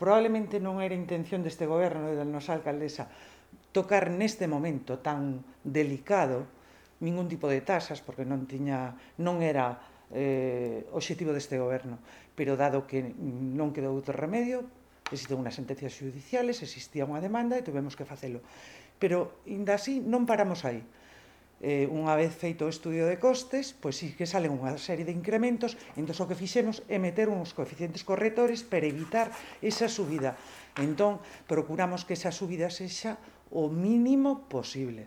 probablemente non era intención deste goberno e da nosa alcaldesa tocar neste momento tan delicado ningún tipo de tasas, porque non era obxectivo deste goberno, pero dado que non quedou outro remedio, existían unhas sentencias judiciales, existía unha demanda e tuvemos que facelo. Pero, ainda así, non paramos aí. Unha vez feito o estudio de costes, pois sí que salen unha serie de incrementos, entón o que fixemos é meter uns coeficientes correctores para evitar esa subida. Entón, procuramos que esa subida sexa o mínimo posible.